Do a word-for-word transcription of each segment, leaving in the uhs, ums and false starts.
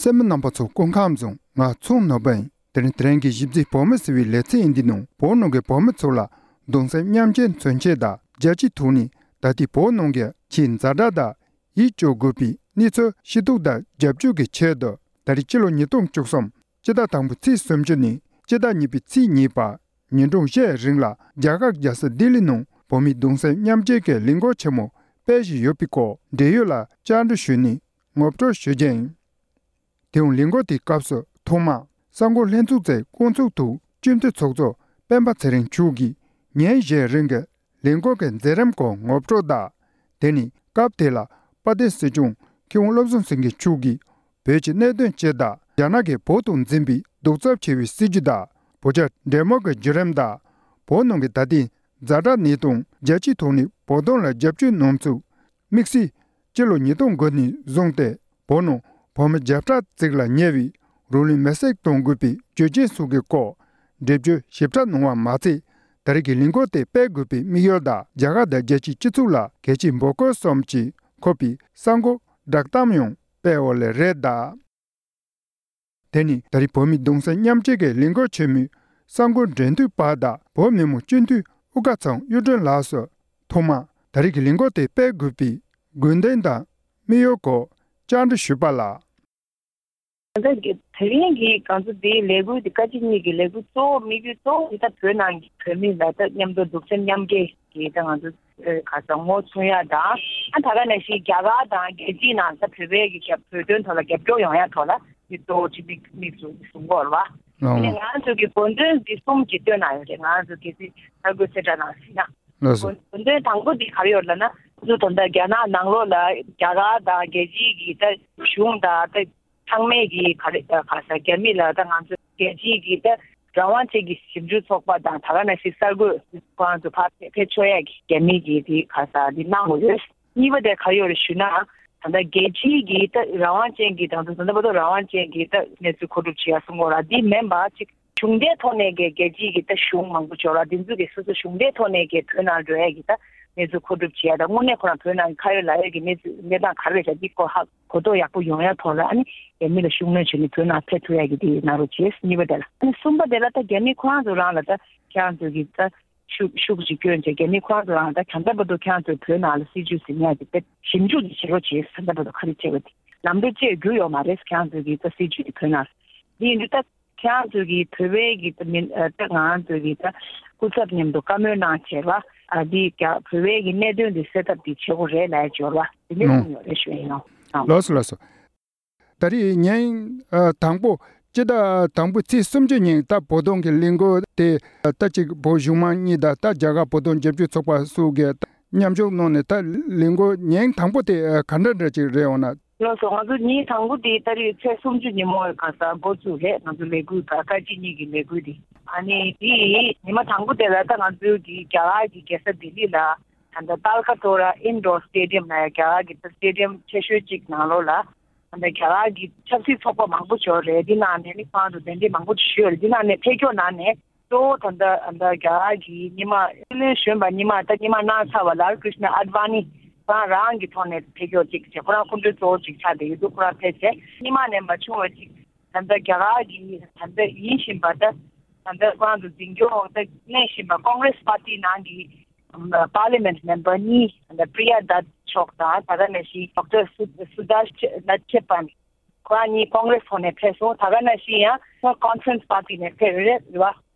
གསན་མི་རྣམ་པ་ཚོ་སྐུ་ཁམས་བཟང་། ང་ཚོང་ནོར་བུ་ཡིན། དེ་རིང་དེ་རིང་གི་གཞི་རྩའི་བོད་མི་ཟེར་བའི་ལེ་ཚན་འདི་ནང་བོད་ནང་གི་བོད་མི་ཚོ་ལ་གདུང་སེམས་མཉམ་སྐྱེད་མཚོན་ཆེད་དང་རྒྱལ་སྤྱིའི་ཐོག་ནས་ད་ལྟའི་བོད་ནང་གི་ཆེས་ཛ་དྲག་དང་ཡིད་སྐྱོ་དགོས་པའི་གནས་ཚུལ་ཤེས་རྟོགས་དང་རྒྱབ་སྐྱོར་གྱི་ཆེད་དུ། ད་རེས་སྤྱི་ལོ་ཉིས་སྟོང་བཅུ་གསུམ་སྤྱི་ཟླ་དང་པོའི་ཚེས་སུམ་ཅུ་ནས་སྤྱི་ཟླ་གཉིས་པའི་ཚེས་གཉིས་བར་ཉིན་གྲངས་བཞིའི་རིང་ལ་རྒྱ་གར་རྒྱལ་ས་ལྡི་ལི་ནང་བོད་མིའི་གདུང་སེམས་མཉམ་སྐྱེད་ཀྱི་ལས་འགུལ་ཆེན་མོ་སྤེལ་བཞིན་ཡོད་པའི་སྐོར་འབྲེལ་ཡོད་ལ་བཅར་འདྲི་ཞུས་ནས་ངོ་སྤྲོད་ཞུ་རྒྱུ་ཡིན། དེའང་ལས་འགུལ་དེའི་སྐབས་སུ་ཐོག་མར་གསར་འགོད་ལྷན་ཚོགས་ཀྱི་སྐུ་ཚབ་ཐོག་སྤྱི་འཐུས་ཚོགས་གཙོ་སྤེན་པ་ཚེ་རིང་མཆོག་གིས་ཉིན་བཞིའི་རིང་གི་ལས་འགུལ་གྱི་མཛད་རིམ་སྐོར་ངོ་སྤྲོད་དང་། དེ་ནས་སྐབས་དེ་ལ་དཔལ་ལྡན་སྲིད་སྐྱོང་མཁས་དབང་བློ་བཟང་སེང་གེ་མཆོག་གིས་བོད་ཀྱི་གནད་དོན་སྤྱི་དང་རྒྱ་ནག་གིས་བོད་དུ་འཛིན་པའི་གདུག་རྩུབ་ཆེ་བའི་སྲིད་བྱུས་དང་བོད་རྒྱ་འབྲེལ་མོལ་གྱི་བརྒྱུད་རིམ་དང་། བོད་ནང་གི་ད་ལྟའི་ཛ་དྲག་གནས་སྟངས། རྒྱལ་སྤྱིའི་ཐོག་ནས་བོད་དོན་ལ་རྒྱབ་སྐྱོར་གནང་ཚུལ། དམིགས་བསལ་སྤྱི་ལོ་ཉིས་སྟོང་དགུ་ནས་བཟུང་སྟེ་བོད་ནང་བོད་མི་བརྒྱ་ཕྲག་ཙམ་ལ་ཉེ་བའི་རོགས་ལུས་མེར་སྲེག་གཏོང་དགོས་པའི་རྒྱུ་རྐྱེན་སོགས་ཀྱི་སྐོར་འགྲེལ་བརྗོད་ཞིབ་ཕྲ་གནང་བ་མ་ཚད། ད་རེས་ཀྱི་ལས་འགུལ་དེ་སྤེལ་དགོས་པའི་དམིགས་ཡུལ་དང་རྒྱ་གར་དང་རྒྱལ་སྤྱིའི་སྤྱི་ཚོགས་ལ་གལ་ཆེའི་འབོད་སྐུལ་གསུམ་གྱིས་འཁོད་པའི་གསར་འགོད་བསྒྲགས་གཏམ་ཡང་སྤེལ་ཡོད་ལེ་རེད་གདའ། དེ་ནི་ད་རེས་བོད་མིའི་གདུང་སེམས་མཉམ་སྐྱེད་ཀྱི་ལས་འགུལ་ཆེན་མོའི་གསར་འགོད་འབྲེལ་མཐུད་པ་དང་བོད་མི་མང་སྤྱི་འཐུས་དབུ་དཀར་ཚང་གཡུ་སྒྲོན་ལགས་སུ་ཐོག་མར་ད་རེས་ཀྱི་ལས་འགུལ་དེ་སྤེལ་དགོས་པའི་དགོས་འདུན་དང་དམིགས་ཡུལ་སྐོར་བཅར་འདྲི་ཞུས་པ་ལ། ད་ལྟ་དེ་རིང་གི་ང་ཚོ་འདིའི་ལས་འགུལ་འདི་བཀའ་སྤྱི་གཉིས་ཀྱི་ལས་འགུལ་གཙོ་བོ་དམིགས་ཡུལ་གཙོ་བོ་འདི་ད་བོད་ནང་གི་བོད་མི་ལ་ད་མཉམ་དུ་གདུང་སེམས་མཉམ་སྐྱེད་ཀྱི་ད་ང་ཚོ་ཨེ་ག་ས་ངོ་མཚོན་ཡ་དང་། ཨ་ད་ག་ནང་བཞིན་རྒྱ་གར་དང་རྒྱལ་སྤྱིའི་ནང་ད་བོད་པའི་གི་རྒྱ་བོད་དོན་ཐོག་ལ་རྒྱབ་སྐྱོར་ཡོང་ཡ་ཐོག་ལ་འདི་གཙོ་བོ་གཅིག་དམིགས་དམིགས་སུ་བཟུང་གི་ཡོད་རེད་བ། ཨ་ནི་ང་ཚོ་གི་དགོས་འདུན་འདི་གསུམ་གྱི་བཏོན་གནང་ཡོད་རེད། ང་ཚོ་གལ་སྲིད་གསར་འགོད་གསལ་བསྒྲགས་ནང་གཟིགས་ན། ལགས་སོ། དགོས་དགོས་འདུན་དང་པོ་འདི་ག་རེ་ཡོད་ལབ་ན། ང་ཚོ་ད་ལྟ་རྒྱ་ནག་ནང་ལོགས་ལ་རྒྱ་གར་དང་རྒྱལ་སྤྱིའི་གི་ད་གཞུང་དང་ད་ཚང་མས་ཀྱིས་ག་རེ་ག་ས་རྒྱ་མི་ལ་ད་ང་ཚོ་རྒྱལ་སྤྱིའི་གི་ད་རང་དབང་ཅན་གྱི་ཞིབ་འཇུག་ཚོགས་པ་དང་ད་ག་ནང་བཞིན་གསར་འགོད་ཁོ་རང་ཚོ་ཕར་ཕེབས་ཕེབས་ཆོག་ཡ་གི་རྒྱ་མི་གི་དེ་ག་ས་དེ་གནང་དགོས་ཡོད། གཉིས་པ་དེ་ག་ཡོད་རེད་ཞུ་ན། ད་ལྟ་རྒྱལ་སྤྱིའི་གི་ད་རང་དབང་ཅན་གྱི་ད་ལྟ་ད་ལྟ་བར་དུ་རང་དབང་ཅན་གྱི་ད་གནས་ཚུལ་མཁོ་སྒྲུབ་བྱེད་ཡ་གསུང་གོ་ར་འདི་མིན་པ་ཅིག་གཞུང་འབྲེལ་ཐོག་ནས་གི་རྒྱལ་སྤྱིའི་གི་ད་གཞུང་མང་པོ་ཅིག་ཡོད་ར་འདི་ཚོ་གི་སོ་སོ་གཞུང་འབྲེལ་ཐོག་ནས་གི་བོད་ནང་འགྲོ་ཡ་གི་ད་གནས་ཚུལ་མཁོ་སྒྲུབ་བྱེད་ཡ་ད་དངོས་གནས་ཁོ་རང་བོད་ནང་གི་ཁ་ཡོད་ལག་ཡོད་གི་གནས་ཚུལ་གནས་སྟངས་ག་རེ་རེད་ཤག་འདི་སྐོར་ཧ་གོ་རྟོགས་ཡག་པོ་ཡོང་ཡ་ཐོག་ལ་ཨ་ནི་རྒྱ་མི་ལ་ཤུགས་སྣོན་བྱས་ནས་བོད་ནང་ཕེབས་ཐུབ་ཡ་གི་དེ་གནང་རོགས་བྱེད། གཉིས་པ་དེ་ལ་ཨ་ནི་གསུམ་པ་དེ་ལ་ད་རྒྱ་མི་ཁོ་རང་ཚོ་རང་ལ་ད་ཁྱེད་རང་ཚོ་གི་ད་ཤུགས་ཤུགས་ཅིག་སྐྱོན་བྱས་རྒྱ་མི་ཁོ་རང་ཚོ་རང་ད་ད་ལྟ་བར་དུ་ཁྱེད་རང་ཚོ་བོད་ནང་ལ་སྲིད་ཇུས་ཟིན་ཡ་དེ་ད་ཞིབ་འཇུག་ཅིག་བྱེད་རོགས་བྱེད། ད་ལྟ་བར་དུ་ག་རེ་བྱས་པ་དེ་ལམ་འགྲོ་བཅས་རྒྱུ་ཡོད་མ་རེད། ཁྱེད་རང་ཚོ་གི་ད་སྲིད་ཇུས་དེ་བོད་ནང་འདི་ཡིན་དུས་ད། ཁྱེད་རང་ཚོ་གི་བོད་པའི་གི་ད་མི་ཨ་ད་ང་རང་ཚོ་གི་ད་སྐུ་ཚབ་མཉམ་དུ་བཀའ་མོལ་གནང་བྱས་པ་ཨ་འདི་རྒྱ་བོད་པའི་གི་གནད་དོན་འདི་སེལ་ཐབས་འདི་བྱེད་དགོས་རེད་ལབ་ཡ་འབྱོར་བ་དེ་འདྲ་ཨང་གསུངས་ཡོད་རེད་ཞུ་ཡ་ཡིན་ནོ། ཨང་། ལགས་སོ་ལགས་སོ། ད་རེས་ཉིན་ཨ་དང་པོ་སྤྱི་ཟླ་དང་པོའི་ཚེས་སུམ་ཅུ་ཉིན་ད་བོད་དོན་གི་གླེང་སྐོར་དེ་ད་ཅིག་བོད་གཞུང་མང་གཉིས་དང་ད་རྒྱ་གར་བོད་དོན་རྒྱབ་སྐྱོར་ཚོགས་པ་སོགས་ཀྱིས་མཉམ་ཞུགས་གནང་ནས་ད་གླེང་སྐོར་ཉིན་དང་པོ་དེ་ག་འདྲ་འདྲ་ཅིག་རེད་འོང་ན། ལགས་སོ། ང་ཚོ་ཉིན་དང་པོ་དེ་ཏ་རིག་ཚེས་སུམ་ཅུ་ཉིན་མོ་ག་ས་འགོ་བཙུགས་རེད། ང་ཚོ་ལས་འགུལ་དང་བཀའ་སྤྱི་གཉིས་ཀྱི་ལས་འགུལ་དེ། ཨ་ནི་དེ་ཉི་མ་དང་པོ་དེ་ལ་ད་ང་ཚོའི་གི་རྒྱ་གར་གྱི་རྒྱལ་ས་ལྡི་ལི་ལ་ད་ལྟ་ཏཱལ་ཀ་ཏོ་ར་ཨིན་ཌོར་སི་ཊེ་ཌི་ཡམ་ལ་ཡ་རྒྱ་གར་གྱི་ད་སི་ཊེ་ཌི་ཡམ་ཆེ་ཤོས་གཅིག་ནང་ལོགས་ལ་ད་ལྟ་རྒྱ་གར་གྱི་ཆབ་སྲིད་ཚོགས་པ་མང་པོ་ཅིག་ཡོད་རེད། འདི་ནང་ནས་ནི་ཁོང་ཚོ་གདན་འདྲེན་མང་པོ་ཅིག་ཞུས་ཡོད་རེད། འདི་ནང་ནས་ཕེབས་མཁན་ནང་ནས། གཙོ་བོ་ད་ལྟ་ད་རྒྱ་གར་གྱི་སྔོན་མ་སྲིད་བློན་གཞོན་པ་སྔོན་མ་ད་སྔོན་མ་གནང་ཚར་བ་ལ་ཀྲིཤ་ན་ཨ་ཌི་ཝ་ནི་ཁོ་རང་རང་གི་ཐོག་ནས་ཕེབས་མཁན་ཅིག་བྱས། ཁོ་རང་སྐུ་མགྲོན་གཙོ་བོ་ཅིག་ཆགས་བསྡད་ཡོད་འདུག་ཁོ་རང་ཕེབས་བྱས་སྔོན་མ་ནས་མ་བྱུང་བ་ཅིག་ད་ལྟ་རྒྱ་གར་གྱི་ད་ལྟ་ཡིན་བཞིན་པ་ད་ད་ལྟ་ཁོ་རང་ཚོ་འཛིན་སྐྱོང་ད་གནས་བཞིན་པ་ཀོང་རེ་སི་པར་ཊི་ནང་གི་པར་ལི་མེན་ཊི་མེམ་བར་གཉིས་ད་ལྟ་པྲི་ཡ་དཱད་མཆོག་དང་ད་ག་ནང་བཞིན་ཌོག་ཊར་སུ་སུ་དར་ནཊ་ཁེ་པན། ཁོ་རང་གཉིས་ཀོང་རེ་སི་ཐོག་ནས་ཕེབས་སོང་། ད་ག་ནང་བཞིན་ཡང་ཁོང་ཀོན་ཕ་རེན་སི་པར་ཊི་ནས་ཕེབས་རེད་རེད་བ།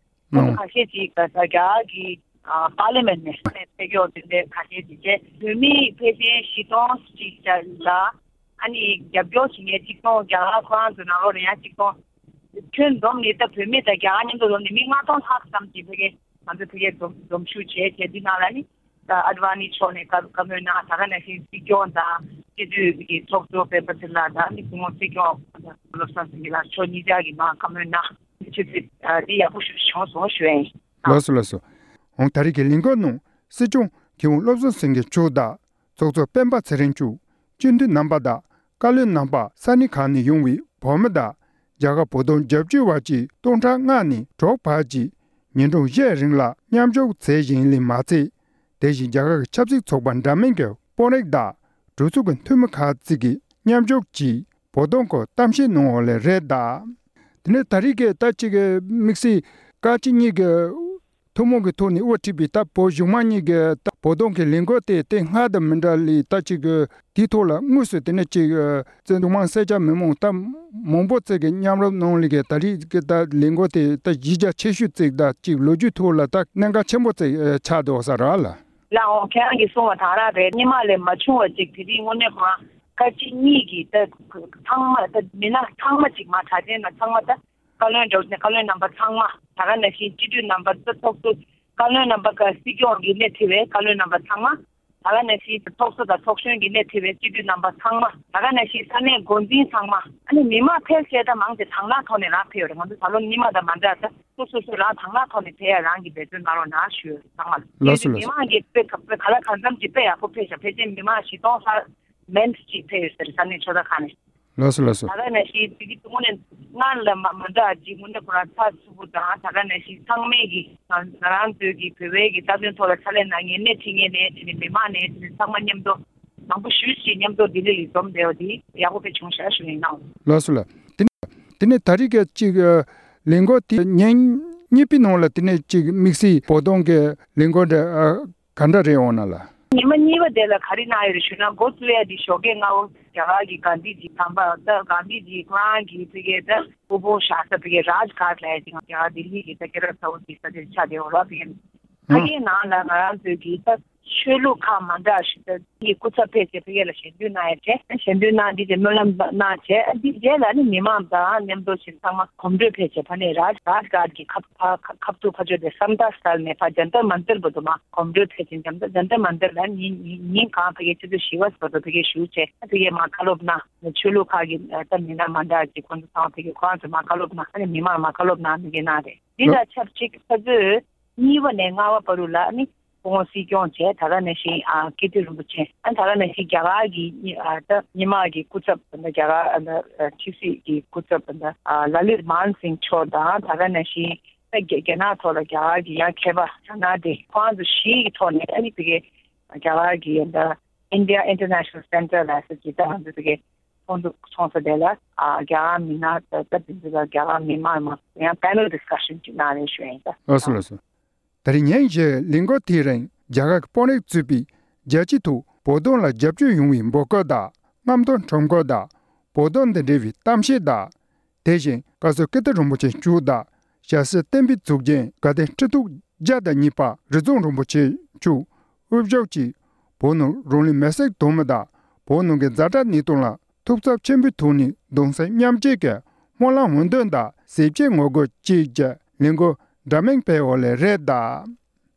ཁོང་ཚོ་ཁ་ཤས་ཅིག་ད་ལྟ་རྒྱ་གར་གྱི་ཨ་པར་ལི་མེན་ཊི་ནས་ནས་ཕེབས་ཡོད་དེ་འདྲའི་ཁ་ཤས་ཅིག་བྱས། བོད་མི་ཕལ་ཆེར་བཞི་སྟོང་ཅིག་ལ་ཨ་ནི་རྒྱབ་སྐྱོར་བྱེད་མཁན་གཅིག་སྟོང་། རྒྱ་གར་ཁོ་རང་ཚོ་ནང་ལོགས་ནས་ཡང་གཅིག་སྟོང་། ཁྱོན་བསྡོམས་ནས་ད་བོད་མི་དང་རྒྱ་གར་མཉམ་དུ་བསྡོམས་ནས་མི་ལྔ་སྟོང་ལྷག་ཙམ་ཅིག་ཕ་གི་ང་ཚོ་ཕ་གིར་འཛོམས་འཛོམས་ཞུགས་བྱས་བྱས་འདི་ནང་ལ་ནི། ད་ཨ་ཌི་ཝ་ནི་མཆོག་ནས་བཀའ་བཀའ་མོལ་གནང་། ད་ག་ནང་བཞིན་སྲིད་སྐྱོང་དང་སྤྱི་འཐུས་ཀྱི་ཚོགས་གཙོ་སྤེན་པ་ཚེ་རིང་ལགས་དང་ནི་སྐུ་ངོ་སྲིད་སྐྱོང་བློ་བཟང་སེང་གེ་ལགས་མཆོག་གཉིས་ཆ་གིས་མར་བཀའ་མོལ་གནང་། ཆུ་ཚོད་འདི་ཡག་པོ་ཞིག་བྱུང་སོང་ཞུ་ཡ་ཡིན། ལགས་སོ་ལགས་སོ། འོང་ད་རེས་ཀྱི་ལས་འགུལ་ནང་སྲིད་སྐྱོང་མཁས་དབང་བློ་བཟང་སེང་གེ་མཆོག་དང་ཚོགས་གཙོ་སྤེན་པ་ཚེ་རིང་མཆོག་སྤྱི་འཐུས་རྣམ་པ་དང་བཀའ་བློན་རྣམ་པ་ས་གནས་ཁག་ནས་ཡོང་བའི་བོད་མི་དང་རྒྱ་གར་བོད་དོན་རྒྱབ་སྐྱོར་བ་བཅས་སྟོང་ཕྲག་ལྔ་ནས་དྲུག་བར་གྱིས་ཉིན་གྲངས་བཞིའི་རིང་ལ་མཉམ་ཞུགས་མཛད་བཞིན་ཡིན་ལེ་མ་ཚད། དེ་བཞིན་རྒྱ་གར་གྱི་ཆབ་སྲིད་ཚོགས་པ་འདྲ་མིན་གྱི་དཔོན་རིགས་དང་གྲོས་ཚོགས་ཀྱི་འཐུས་མི་ཁག་ཅིག་གིས་མཉམ་ཞུགས་ཀྱིས་ བོད་དོན་སྐོར་གཏམ་བཤད་གནང་བ་ལས་རེད་ད། དེ་ནས་ད་རེས་ཀྱི་ད་ཅིག་གི་དམིགས་བསལ་བཀའ་སྤྱི་གཉིས་ཀྱི་ཐུན་མོང་གི་ཐོག་ནས་དབུ་ཁྲིད་པའི་ད་བོད་གཞུང་མང་གཉིས་ཀྱི་ད་བོད་དོན་གྱི་ལས་འགུལ་དེ་དེ་སྔ་དང་མི་འདྲ་ལས་ད་ཅིག་གི་དེའི་ཐོག་ལ་དངོས་སུ་དེ་ནས་ཅིག་གི་གཞུང་མང་སེར་སྐྱ་མི་མང་ད་མང་པོ་ཅིག་གི་མཉམ་རུབ་གནང་ལས་ཀྱི་ད་རེས་ཀྱི་ད་ལས་འགུལ་དེ་ད་གཞི་རྒྱ་ཆེ་ཤོས་ཅིག་ད་ཅིག་ལོ་རྒྱུས་ཐོག་ལ་ད་གནད་འགག་ཆེན་པོ་ཅིག་ཆགས་འདུག་ས་རེད་ལ། ལགས་འོང་། ཁྱེད་རང་གིས་གསུངས་པ་དང་རང་རེད། སྔོན་མ་ལས་མ་བྱུང་བ་ཅིག་དེ་རིང་དངོས་གནས་ཁོ་རང་བཀའ་སྤྱི་གཉིས་ཀྱིས་ད་ཚང་མ་ད་མི་སྣ་ཚང་མ་ཅིག་མ་གྲགས་ཅན་ན་ཚང་མ་ད་བཀའ་བློན་འདྲ་བོ་ཅིག་ན་བཀའ་བློན་རྣམ་པ་ཚང་མ། ད་ག་ནང་བཞིན་སྤྱི་འཐུས་རྣམ་པ་ད་ཚོགས་གཙོ་བཀའ་བློན་རྣམ་པ་ཀ་སྲིད་སྐྱོང་གི་སྣེ་ཁྲིད་པའི་བཀའ་བློན་རྣམ་པ་ཚང་མ། ད་ག་ནང་བཞིན་ཚོགས་གཙོ་དང་ཚོགས་གཞོན་གྱི་སྣེ་ཁྲིད་པའི་སྤྱི་འཐུས་རྣམ་པ་ཚང་མ། ད་ག་ནང་བཞིན་ས་གནས་འགོ་འཛིན་ཚང་མ། ཨ་ནི་མི་མང་ཕལ་ཆེར་ད་མང་ཆེ་དང་བླངས་ཐོག་ནས་རང་ཕེབས་ཡོད་རེད། ང་ཚོ་ད་ལོ་སྔོན་མ་དང་མ་འདྲ་ད། སོ་སོ་སོ་རང་དང་བླངས་ཐོག་ནས་ཕེབས་ཡ་རང་གི་འབད་བརྩོན་གནང་རོགས་གནང་ཞུ་ཡོད་ཚང་མ་ལ། ལགས་སོ། ལགས་སོ། མི་མང་གིས་དཔེ་ག་དཔེ་ག་ལ་གང་འཚམ་གྱིས་དཔེ་ཡག་པོ་ཕེབས་ཤག་ཕལ་ཆེར་མི་མང་བཞི་སྟོང་ལྷག་མེན་ཅིག་ཕེབས་ཡོད་ཟེར་ས་གནས་ཆོས་ཚོགས་ཁང་ནས། ལགས་སོ། ལགས་སོ། ད་ག་ནང་བཞིན་དེ་གི་དངོས་གནས་སྔར་ལ་མ་མ་འདྲ་ཅིག་དངོས་གནས་ཁོ་རང་ཚགས་ཚུད་པོ་དང་། ད་ག་ནང་བཞིན་ཚང་མས་ཀྱི་ང་ང་རང་ཚོའི་གི་བོད་པའི་གི་རྩ་དོན་ཐོག་ལ་ཕྱག་ལས་གནང་མཁན་སྣེ་ཁྲིད་མཁན་ནས་དེ་ནས་མི་མང་ནས་དེ་ནས་ཚང་མ་མཉམ་དུ་མང་པོ་ཞེ་ཅིག་མཉམ་དུ་ལྡི་ལི་ལ་འཛོམས་བསྡད་པ་དེ་ཡག་པོ་དཔེ་བྱུང་ཤག་ཞུ་ཡིན་ནའང་། ལགས་སོ་ལགས། དེ་ནས་དེ་ནས་ད་རེས་ཀྱི་ཅིག་ཨ་ལས་འགུལ་དེ་ཉིན་གཉིས་པའི་ནང་ལ་དེ་ནས་ཅིག་དམིགས་བསལ་བོད་དོན་གྱི་ལས་འགུལ་འདྲ་ཨ་ག་འདྲ་རེད་འོང་ན་ལ། ཉི་མ་གཉིས་པ་དེ་ལ་ག་རེ་གནང་ཡོད་རེད་ཞུ་ན། འགོ་བཙུགས་ཡ་དེ་ཞོགས་ཀས་སྔ་པོ་རྒྱ་གར་གྱི་གྷན་དྷི་ཇི་དམ་པ་ད་གྷན་དྷི་ཇི་ཁོ་རང་གི་ཕ་གིའི་ད་སྐུ་ཕུང་བཞག་ས་ཕ་གིའི་རཱཇ་གྷཊ་ལབ་ཡ་དེ་རྒྱ་གར་ལྡི་ལི་གི་ད་ཀེ་ར་ས་འོ་དེ་ས་དེར་ཆགས་བསྡད་ཡོད་རེད། ཕ་གིའི་ཕ་གིའི་ནང་ལ་ང་རང་ཚོའི་གི་ད་ཆོས་ལུགས་ཁག་མ་འདྲ་ཞིག་ད་གི་སྐུ་ཚབ་ཕེབས་བྱས་ཕ་གི་ལ་ཞལ་འདོན་གནང་ཡ་བྱས། ཞལ་འདོན་གནང་འདི་བྱས་སྨོན་ལམ་གནང་བྱས། འདི་རྗེས་ལ་ནི་མི་མང་དང་མཉམ་དུ་ཞིག་ཚང་མ་གོམ་བགྲོད་ཕེབས་བྱས་ཕ་ནས་རཱཇ་རཱཇ་གྷཊ་གི་ཁ་ཁ་ཁ་ཐུག་ཕ་ཕྱོགས་དེ་སམ་ཏཱ་སི་ཊལ་ནས་ཕ་ཇན་ཏར་མན་ཏར་བར་དུ་མ་གོམ་བགྲོད་ཕེབས་ཤིང་། ཇན་ཏར་ཇན་ཏར་མན་ཏར་ལ་ཉིན་ཉིན་ཉིན་གང་ཕ་གི་ཆུ་ཚོད་བཞི་པ་བར་དུ་ཕ་གི་བཞུགས་བྱས། ཕ་གི་མ་བཀའ་སློབ་གནང་། ཆོས་ལུགས་ཁག་གི་ད་མི་སྣ་མ་འདྲ་ཅིག་ཁོང་ཚོ་ཚང་མ་ཕ་གི་ཁོ་རང་ཚོ་མ་བཀའ་སློབ་གནང་། ཨ་ནི་མི་མང་མ་བཀའ་སློབ་གནང་ནི་གི་གནང་རེད། འདི་ལ་ཆབས་ཅིག་ཕ་ཚོས་གཉིས་པ་ནས་ལྔ་པ་བར་དུ་ལ་ནི་སྐུ་ངོ་སྲིད་སྐྱོང་བྱས། ད་ག་ནང་བཞིན་ཨ་ཀིརྟི་རིན་པོ་ཆེ། ཨ་ད་ག་ནང་བཞིན་རྒྱ་གར་གྱི་ཨ་ད་མི་དམངས་ཀྱི་སྐུ་ཚབ་ད་རྒྱ་གར་ཨ་ཕྱི་སྲིད་ཀྱི་སྐུ་ཚབ་ད་ལ་ལིར་མན་སིང་མཆོག་དང་། ད་ག་ནང་བཞིན་ད་རྒྱ་རྒྱ་ནག་ཐོག་ལ་རྒྱ་གར་གྱི་ཡང་མཁས་པ་ད་ན་དེ་ཁོང་ཚོ་བཞི་གི་ཐོག་ནས་ཨ་ནི་ཕ་གི་རྒྱ་གར་གྱི་ད་India International Center ལ་སོགས་ཀྱི་ད་ང་ཚོ་ཕ་གི་ཚོགས་འདུ་ཚོགས་ས་དེ་ལ་ཨ་རྒྱ་གར་མི་སྣ་ད་ད་དེ་ཚོ་ལ་རྒྱ་གར་མི་དམངས་མང་ཡང་པེ་ནལ་ཌི་སི་ཀ་ཤན་ཅིག་གནང་རེད་ཞུ་ཡིན་ད། ལགས་སོ། ལགས་སོ། ད་རེས་ཉིན་བཞིའི་ལས་འགུལ་དེའི་རིང་རྒྱ་གར་གྱི་དཔོན་རིགས་གཙོས་པའི་རྒྱལ་སྤྱིའི་ཐོག་བོད་དོན་ལ་རྒྱབ་སྐྱོར་ཡོང་བའི་འབོད་སྐུལ་དང་། རྔམ་སྟོན་ཁྲོམ་སྐོར་དང་། བོད་དོན་དང་འབྲེལ་བའི་གཏམ་བཤད་དང་། དེ་བཞིན་བཀའ་ཟུར་ཀིརྟི་རིན་པོ་ཆེ་མཆོག་དང་། ཞྭ་སེར་བསྟན་པའི་གཙུག་རྒྱན་དགའ་ལྡན་སྤྲེལ་ཐུག་བརྒྱ་དང་གཉིས་པ་རི་རྫོང་རིན་པོ་ཆེ་མཆོག་དབུ་བཞུགས་ཀྱིས་བོད་ནང་རང་ལུས་མེར་སྲེག་གཏོང་མི་དང་བོད་ནང་གི་ཛ་དྲག་གནས་སྟངས་ལ་ཐུགས་འཚབ་ཆེན་པོའི་ཐོག་ནས་གདུང་སེམས་མཉམ་སྐྱེད་ཀྱི་སྨོན་ལམ་འོས་འདེམས་དང་ཟས་བཅད་ངོ་རྒོལ་བཅས་ཀྱི་ལས་འགུལ་འདྲ་མིན་སྤེལ་བ་ལས་རེད་གདའ།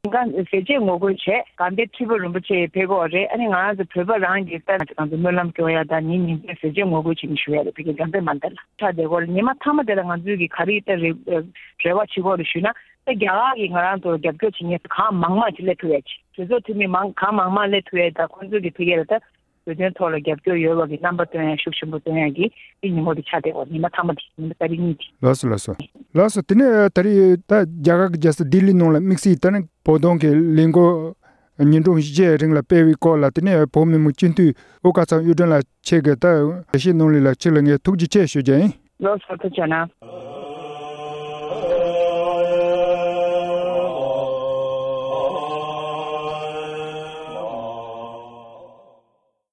ཟས་བཅད་ངོ་རྒོལ་བྱས། དགའ་ལྡན་ཁྲི་པ་རིན་པོ་ཆེ་ཕེབས་ཀྱི་ཡོད་རེད། ཨ་ནི་ང་རང་ཚོ་བོད་པ་རང་གི་ལྟར་ང་ཚོ་སྨོན་ལམ་སྐྱོང་ཡ་དང་ཉིན་ཉིན་བརྟན་ཟས་བཅད་ངོ་རྒོལ་བྱེད་ཀྱི་བཞུགས་ཡ་རེད། ཕ་གི་དགའ་ལྡན་མན་ཏེ་ལ་ཆགས་བསྡད་ཡོད་རེད། ཉི་མ་མཐའ་མ་དེ་ལ་ང་ཚོའི་གི་ག་རེ་ལྟར་རེ་རེ་བ་བྱེད་ཀྱི་ཡོད་རེད་ཞུས་ན། ད་རྒྱ་གར་གྱིས་ང་རང་ཚོར་རྒྱབ་སྐྱོར་བྱེད་མཁན་གང་མང་མང་ཅིག་སླེབས་ཐུབ་ཡ་ཅིག་གྲོས་ཚོགས་འཐུས་མི་མང་གང་མང་མང་སླེབས་ཐུབ་ཡ་དང་ཁོང་ཚོ་གི་ཕ་གི་ལ་ད་བོད་དོན་ཐོག་ལ་རྒྱབ་སྐྱོར་ཡོད་པ་གི་རྣམ་པ་སྟོན་ཡ་ཤུགས་ཆེན་པོ་སྟོན་ཡ་གི་དེ་ཉིན་མོ་དེ་ཆགས་བསྡད་ཡོད་རེད། ཉི་མ་མཐའ་མ་དེ་ཉི་མ་ཏ་རིག་གཉིས་དེ། ལགས་སོ། ལགས་སོ། ལགས་སོ། དེ་ནས་ད་རེས་ད་རྒྱ་གར་གྱི་རྒྱལ་ས་ལྡི་ལི་ནང་ལ་དམིགས་བསལ་ད་ནི་བོད་དོན་གྱི་ལས་འགུལ་ཉིན་གྲངས་བཞིའི་རིང་ལ་སྤེལ་བའི་སྐོར་ལ་དེ་ནས་བོད་མི་མང་སྤྱི་འཐུས་ཨོ་དཀར་ཚང་གཡུ་སྒྲོན་ལགས་ཁྱེད་ཀྱིས་ད་འགྲེལ་བཤད་གནང་ལུགས་ལ་ཁྱེད་ལ་ངས་ཐུགས་རྗེ་ཆེ་ཞུ་རྒྱུ་ཡིན། ལགས་སོ། ཐུགས་རྗེ་གནང་།